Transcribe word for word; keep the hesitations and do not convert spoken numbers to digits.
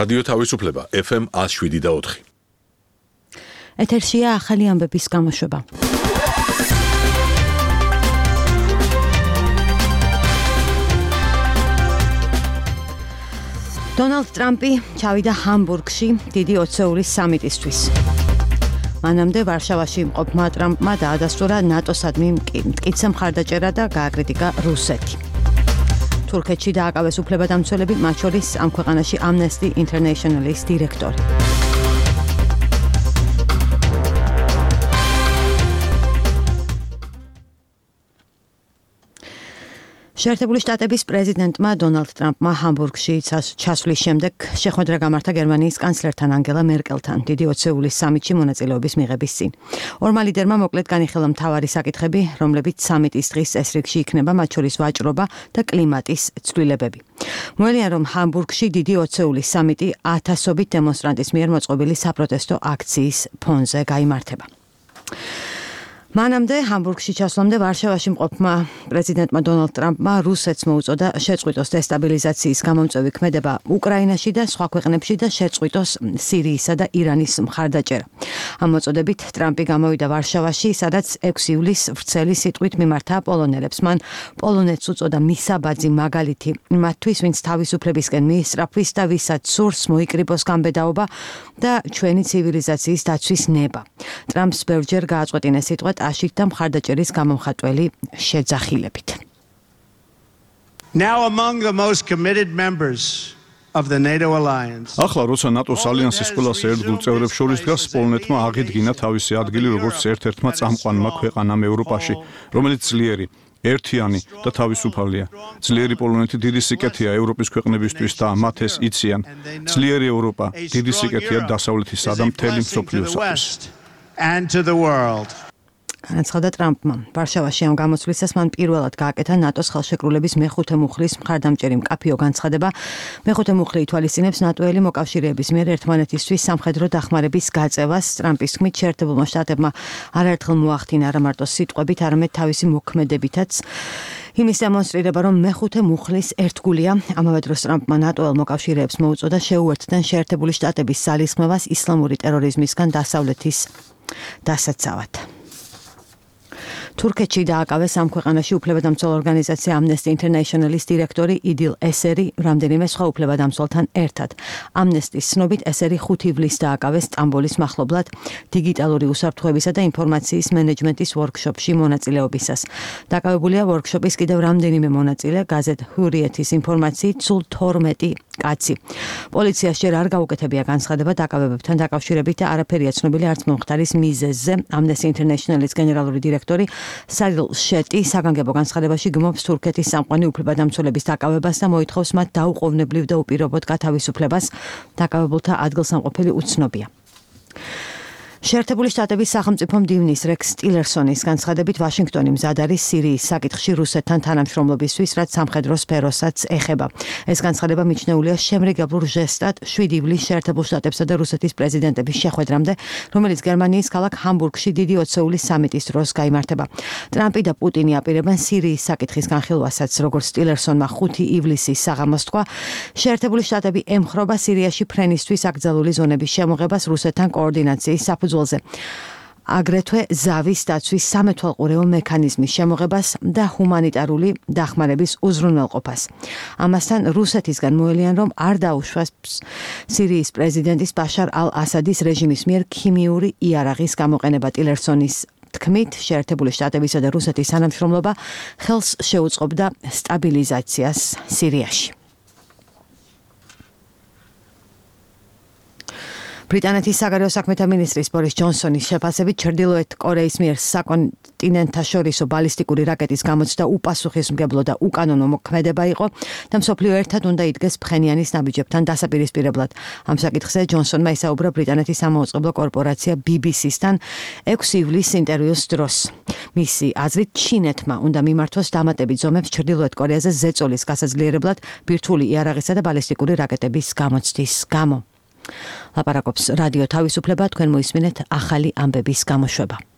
რადიო თავისუფლება ეფ ემ ათს შვიდი და ოთხი. ეთერშია ახალი ამბების გამოშვება. დონალდ ტრამპი ჩავიდა ჰამბურგში დიდი ოცეულის სამიტისთვის. მანამდე ვარშავაში მყოფმა ტრამპმა დაადასტურა ნატოსადმი მტკიცე მხარდაჭერა და გააკრიტიკა რუსეთი. თურქეთში დააკავეს უფლებადამცველები, მათ შორის ამ ქვეყანაში Amnesty International-ის დირექტორი. შეერთებული შტატების პრეზიდენტმა დონალდ ტრამპმა ჰამბურგში ჩასვლის შემდეგ შეხვედრა გამართა გერმანიის კანცლერთან ანგელა მერკელთან დიდი ოცეულის სამიტში მონაწილეობის მიღების წინ. ორმა ლიდერმა მოკლედ განიხილა მთავარი საკითხები, რომლებიც სამიტის დღის წესრიგში იქნება, მათ შორის ვაჭრობა და კლიმატის ცვლილებები. მოელიან, რომ ჰამბურგში დიდი ოცეულის სამიტი ათასობით დემონსტრანტის მიერ მოწყობილი საპროტესტო აქციის ფონზე გაიმართება. მანამდე ჰამბურგში ჩასვლამდე ვარშავაში მყოფმა პრეზიდენტმა დონალდ ტრამპმა რუსეთს მოუწოდა შეწყვიტოს დესტაბილიზაციის გამომწვევი ქმედება უკრაინაში და სხვა ქვეყნებში და შეწყვიტოს სირიისა და ირანის მხარდაჭერა. ამ მოწოდებით ტრამპი გამოვიდა ვარშავაში, სადაც ექვსი ივლისს ვრცელი სიტყვით მიმართა პოლონელებს. მან პოლონეთს უწოდა მისაბაძი მაგალითი მათთვის, ვინც თავისუფლებისკენ მიისწრაფვის და ვისაც სურს მოიკრიბოს გამბედაობა და ჩვენი ცივილიზაციის დაცვის ნება. ტრამპს ბევრჯერ გააწყვეტინა სიტყვა აშით და მხარდაჭერის გამომხატველი შეძახილებით. Now among the most committed members of the NATO alliance. ახლა როცა ნატოს ალიანსის ყველა ერთგულ წევრებს შორის დგას, პოლონეთმა აღიდგინა თავისი ადგილი როგორც ერთ-ერთმა წამყვანმა ქვეყანამ ევროპაში, რომელიც ძლიერი, ერთიანი და თავისუფალია. ძლიერი პოლონეთი დიდი სიკეთეა ევროპის ქვეყნებისთვის და მათ ეს იციან. ძლიერი ევროპა დიდი სიკეთეა დასავლეთისა და მთელი მსოფლიოსათვის. And to the world. განაცხადა ტრამპმა. ვარშავაში ამ გამოცვლისას მან პირველად გააკეთა ნატოს ხელშეკრულების მეხუთე მუხლის მხარდამჭერი მკაფიო განცხადება. მეხუთე მუხლი ითვალისწინებს ნატოელი მოკავშირეების მიერ ერთმანეთისთვის სამხედრო დახმარების გაწევას. ტრამპის თქმით, შეერთებულმა შტატებმა არაერთხელ მოახდინა არა მარტო სიტყვებით, არამედ თავისი მოქმედებითაც იმის დემონსტრირება, რომ მეხუთე მუხლის ერთგულია. ამავე დროს ტრამპმა ნატოელ მოკავშირეებს მოუწოდა შეუერთდნენ შეერთებული შტატების ძალისხმევას ისლამური ტერორიზმისგან დასავლეთის დასაცავად. თურქეთში დააკავეს ამ ქვეყანაში უფლებადამცველ ორგანიზაცია Amnesty International-ის დირექტორი იდილ ესერი რამდენიმე სხვა უფლებადამცველთან ერთად. Amnesty-ის ცნობით ესერი ხუთი ივლისს დააკავეს სტამბოლის მახლობლად დიგიტალური უსაფრთხოებისა და ინფორმაციის მენეჯმენტის ვორქშოპში მონაწილეობისას. დაკავებულია ვორქშოპის კიდევ რამდენიმე მონაწილე, გაზეთ ჰურიეთის ინფორმაციით სულ თორმეტი კაცი. პოლიციას ჯერ არ გაუკეთებია განცხადება დაკავებებთან დაკავშირებით და არაფერია ცნობილი არც მომხდარის მიზეზზე. Amnesty International-ის გენერალური დირექტორი სარილ შეტი საგანგებო განცხადებაში გმობს თურქეთის სამყარო უფლებადამცველების დაკავებას და მოითხოვს მათ დაუყოვნებლივ და უპირობოდ გათავისუფლებას. დაკავებულთა ადგილსამყოფელი უცნობია. შეერთებული შტატების სახელმწიფო მდივნის რექს ტილერსონის განცხადებით ვაშინგტონი მზად არის სირიის საკითხში რუსეთთან თანამშრომლობისთვის, რაც სამხედრო სფეროსაც ეხება. ეს განცხადება მიჩნეულია შემრიგებლურ ჟესტად შვიდი ივლისს შეერთებულ შტატებსა და რუსეთის პრეზიდენტების შეხვედრამდე, რომელიც გერმანიის ქალაქ ჰამბურგში დიდი ოცეულის სამიტის დროს გაიმართება. ტრამპი და პუტინი აპირებენ სირიის საკითხის განხილვასაც, როგორც ტილერსონმა ხუთი ივლისის საღამოს თქვა. შეერთებული შტატები ემხრობა სირიაში ფრენისთვის აკრძალული ზონების შემოღებას რუსეთთან კოორდინაციის საფუძველზე. აგრეთვე ზავის დაცვის სამეთვალყურეო მექანიზმის შემოღებას და ჰუმანიტარული დახმარების უზრუნველყოფას. ამასთან რუსეთისგან მოელიან, რომ არ დაუშვას სირიის პრეზიდენტის ბაშარ ალ-ასადის რეჟიმის მიერ ქიმიური იარაღის გამოყენება. ტილერსონის თქმით, შეერთებული შტატებისა და რუსეთის თანამშრომლობა ხელს შეუწყობდა სტაბილიზაციას სირიაში. ბრიტანეთის საგარეო საქმეთა მინისტრის ბორის ჯონსონის შეფასებით ჩრდილოეთ კორეის მიერ საკონტინენტთაშორისო ბალისტიკური რაკეტის გამოცდა უპასუხისმგებლო და უკანონო მოქმედება იყო და მსოფლიო ერთად უნდა იდგეს ფხენიანის ნაბიჯებთან დასაპირისპირებლად. ამ საკითხზე ჯონსონმა ისაუბრა ბრიტანეთის სამაუწყებლო კორპორაცია ბი ბი სისთან ექვსი ივლისს ინტერვიუს დროს. მისი აზრით, ჩინეთმა უნდა მიმართოს დამატებით ზომებს ჩრდილოეთ კორეაზე ზეწოლის გასაძლიერებლად ბირთვული იარაღისა და ბალისტიკური რაკეტების გამოცდის გამო. ლაპარაკობს რადიო თავისუფლება, თქვენ მოისმინეთ ახალი ამბების გამოშვება.